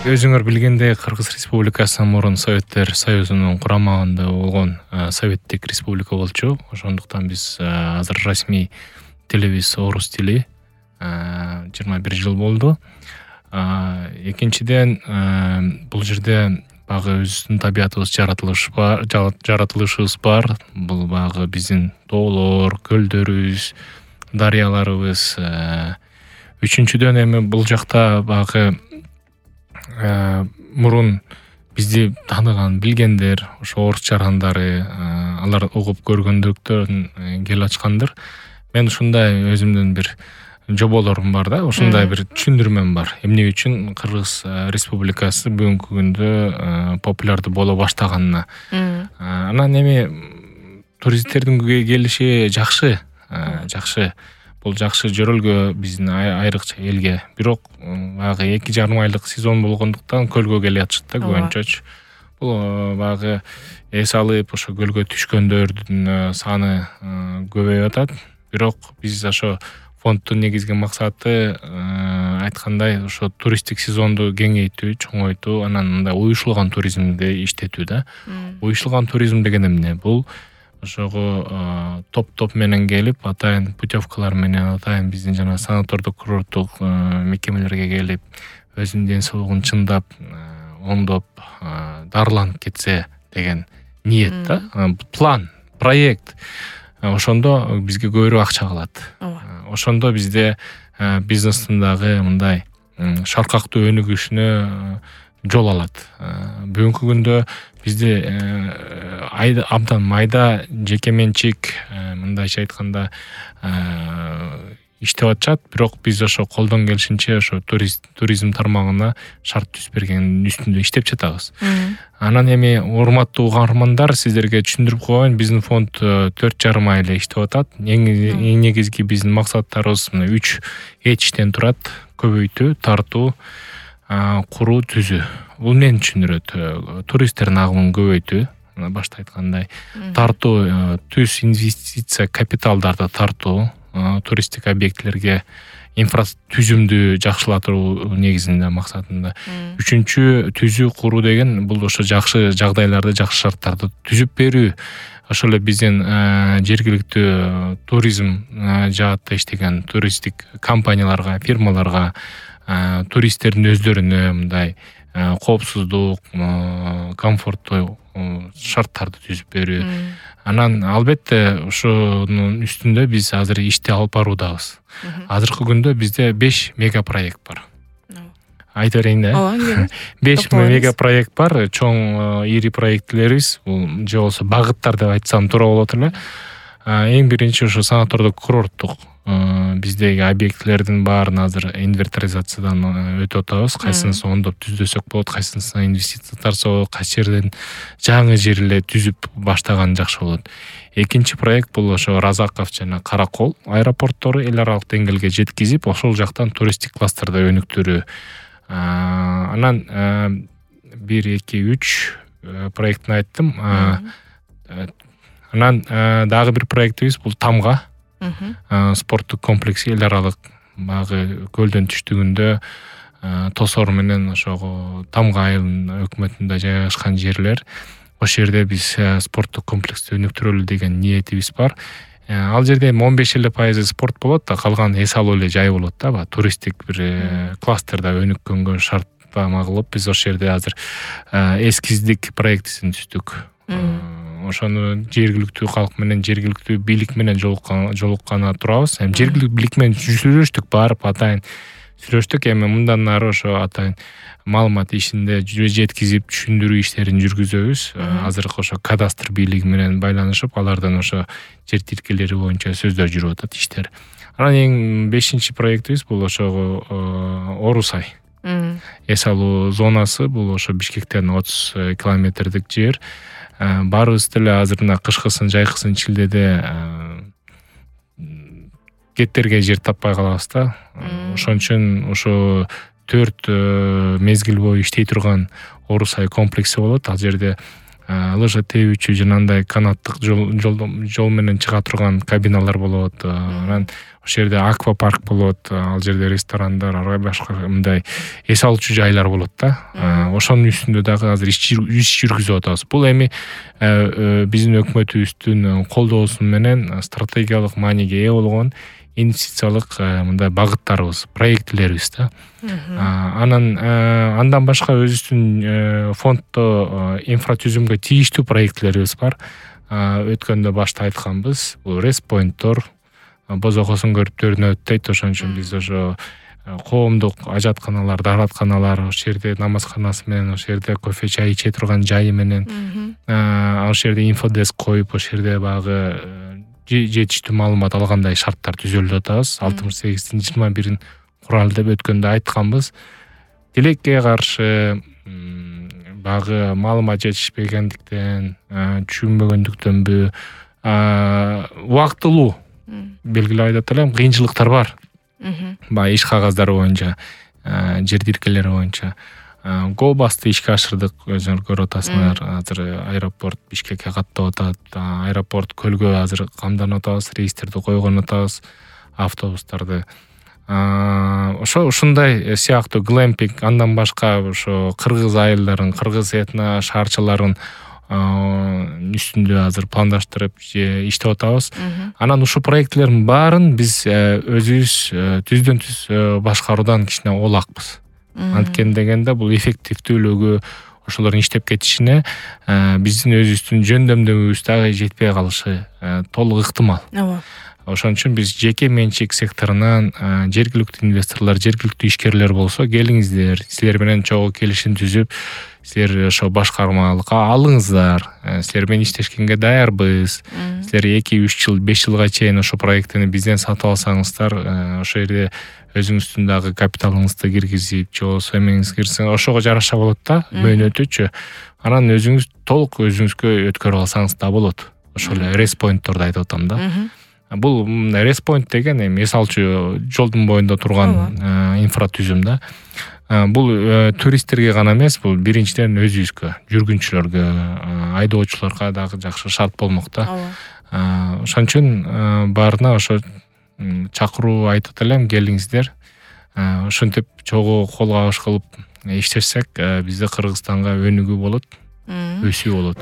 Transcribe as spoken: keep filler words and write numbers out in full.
өзүңөр билгендей Кыргыз Республикасы мурун Советтер Союзунун курамагында болгон советтик республика болчу. Ошондуктан биз азыр расмий тилибиз орус тили. жыйырма бир жыл болду. Экинчиден, бул жерде багы өзүбүздүн табиятыбыз, жаратылыш бар, жаратылышыбыз бар. Бул багы биздин тоолор, көлдөрүбүз, дарыяларыбыз. Үчүнчүдөн эми бул жакта багы мурун бизди тааныган, билгендер, ошо орус жарандары, алар угуп көргөндүктөн кел ачкандыр. Мен ушундай өзүмдүн бир жоболорум бар да, ушундай бир түшүндүрмөм бар. Эмне үчүн Кыргыз Республикасы бүгүнкү күндө популярдуу боло баштаганына. Анан эми туристтердин келиши жакшы, жакшы. Бул жакшы жөрөлгө биздин айрыкча элге. Бирок багы эки жарым айлык сезон болгондуктан көлгө келе атышат да көбүнчөчү. Бул багы эс алып, ошо көлгө түшкөндөрдүн саны көбөйүп атат. Бирок биз ошо фонддун негизги максаты айткандай ошо туристтик сезонду кеңейтүү, чоңойтуу, анан мындай уюшулган туризмди иштетүү да. Уюшулган туризм деген эмне? Бул ошого топ-топ менен келип, атайын путевкалар менен, атайын биздин жана санатордук курорттук мекемелерге келип, өзүнүн ден соолугун чындап, оңдоп, дарыланып кетсе деген ниет да. План, проект. Ошондо бизге көбүрөөк акча калат. Ошондо бизде бизнестин дагы мындай шаркактуу өнүгүшүнө жол алат. Бүгүнкү күндө бизде абдан майда жеке менчик, мындайча айтканда, иштеп атышат, бирок биз ошо колдон келишинче ошо туризм тармагына шарт түзүп бергендин үстүндө иштеп жатабыз. Анан эми урматтуу угармандар, сиздерге түшүндүрүп коеюн, биздин фонд төрт жарым ай эле иштеп атат. Эң негизги биздин максаттарыбыз мына үч этиштен турат: көбөйтүү, тартуу, куруу, түзүү. Бул эмнени түшүндүрөт? Туристтердин агымын көбөйтүү, башта айткандай, тартуу, түз инвестиция капиталдарды тартуу, туристтик объектилерге инфратүзүмдү жакшылатуу негизинде максатында. Үчүнчү, түзүү, куруу деген бул ошо жакшы жагдайларды, жакшы шарттарды түзүп берүү. Ошол эле биздин жергиликтүү туризм жаатта иштеген туристтик компанияларга, фирмаларга, туристтердин өздөрүнө мындай коопсуздук, комфорттуу шарттарды түзүп берүү. Анан албетте ошонун үстүндө биз азыр ишти алып баруудабыз. Азыркы күндө бизде беш мега проект бар. Айта берейин да. беш мега проект бар. Чоң ири проектлерибиз, бул же болбосо багыттар деп айтсам туура болот эле. Эң биринчи ошо санатордук курорттук биздеги объектилердин баарын азыр инвентаризациядан өтүп атабыз. Кайсынысы оңдоп түздөсөк болот, кайсынысына инвестиция тартса болот, кайсы жерден жаңы жер эле түзүп баштаган жакшы болот. Экинчи проект бул ошо Разаков жана Каракол аэропорттору эл аралык деңгээлге жеткизип, ошол жактан туристтик кластерди өнүктүрүү. Анан бир, эки, үч проектин айттым. Анан дагы бир проектибиз бул Тамга спорттук комплекси, эл аралык багы көлдөн түштүгүндө Тосор менен ошого Тамга айылынын өкмөтүндө жайгашкан жерлер. Ошол жерде биз спорттук комплексти өнүктүрөлү деген ниетибиз бар. Ал жерде он беш эле пайызы спорт болот да, калган эс алуу эле жай болот да. Туристтик бир кластерде өнүккөнгө шарттама кылып, биз ошол жерде азыр эскиздик проектисин түздүк. Ошону жергиликтүү калк менен, жергиликтүү бийлик менен жолукканы турабыз. Эми жергиликтүү бийлик менен сүйлөштүк, барып атайын сүйлөштүк. Эми мындан ары ошо атайын маалымат ишинде жеткизип, түшүндүрүү иштерин жүргүзөбүз. Азыркы ошо кадастр бийлиги менен байланышып, алардан ошо жер тилкелери боюнча сөздөр жүрүп атат иштер. Анан эң бешинчи проектибиз бул ошо Орусай. Эс алуу зонасы, бул ошо Бишкектен отуз километрдик жер. Баарыбыз деле азыр мына кышкысын, жайкысын Чилдеде кеттерге жер таппай калабыз да. Ошон үчүн ошо төрт мезгил бою иштей турган Орусай комплекси болот. Ал жерде лыжа тебүүчү жана андай канаттык жол жол менен чыга турган кабиналар болот. Анан ошол жерде аквапарк болот, ал жерде ресторандар, ара башка мындай эс алуучу жайлар болот да. Ошонун үстүндө дагы азыр иш жүргүзүп атабыз. Бул эми биздин өкмөтүбүздүн колдоосу менен стратегиялык мааниге ээ болгон инвестициялык мындай багыттарыбыз, проектилерибиз да. Анан андан башка өзүбүздүн фонддо инфратүзүмгө тийиштүү проектилерибиз бар. Өткөндө башта айтканбыз, бул респойнттор, бозокосун көрүптөрүнө өттөйт. Ошон үчүн биз ошо коомдук ажатканалар, дааратканалар, ошол жерде намазканасы менен, ошол жерде кофе чай иче турган жайы менен, ошол жерде инфодеск коюп, ошол жерде багы жетиштүү маалымат алгандай шарттар түзөлүп атабыз. алтымыш сегиздин жыйырма бирин куралы деп өткөндө айтканбыз. Тилекке каршы багы маалымат жетишпегендиктен, түшүнбөгөндүктөнбү, убактылуу белгилеп айтат элем, кыйынчылыктар бар. Баягы иш кагаздары боюнча, жер тилкелери боюнча. Go-Bus'ты ишке ашырдык, өзүңөр көрүп атасыңар. Азыр аэропорт Бишкекке каттап атат. Аэропорт көлгө азыр камданып атабыз, рейстерди койгон атабыз, автобустарды. Ошо ушундай сыяктуу глэмпинг, андан башка ошо кыргыз айылдарын, кыргыз этно шаарчаларын үстүндө азыр пландаштырып иштеп атабыз. Анан ушул проектилердин баарын биз өзүбүз түздөн түз башкаруудан кичине олакпыз. Анткени дегенде бул эффективдүүлүгү, ошолордун иштеп кетишине биздин өзүбүздүн жөндөмдөгүбүз дагы жетпей калышы толук ыктымал. Ошон үчүн биз жеке менчик секторунан жергиликтүү инвесторлор, жергиликтүү ишкерлер болсо, келиңиздер, силер менен чогуу келишим түзүп, силер ошо башкармалыкка алыңыздар, силер менен иштешкенге даярбыз. Силер эки үч жыл, беш жылга чейин ошо проекттини бизден сатып алсаңыздар, ошол жерде өзүңүздүн дагы капиталыңызды киргизип, же болбосо эмеңиз кирсең, ошого жараша болот да, мөөнөтүчү. Анан өзүңүз толук өзүңүзгө өткөрүп алсаңыз да болот. Ошол эле респойнтторду айтып атам да. Бул респойнт деген эми эс алчу жолдун боюнда турган инфратүзүм да. Бул туристтерге гана эмес, бул биринчиден өзүбүзгө, жүргүнчүлөргө, айдоочуларга дагы жакшы шарт болмок да. Ошон үчүн баарына ошо чакыруу айтып элем, келиңиздер. Ошентип чогуу кол кабыш кылып иштешсек, бизде Кыргызстанга өнүгүү болот, өсүү болот.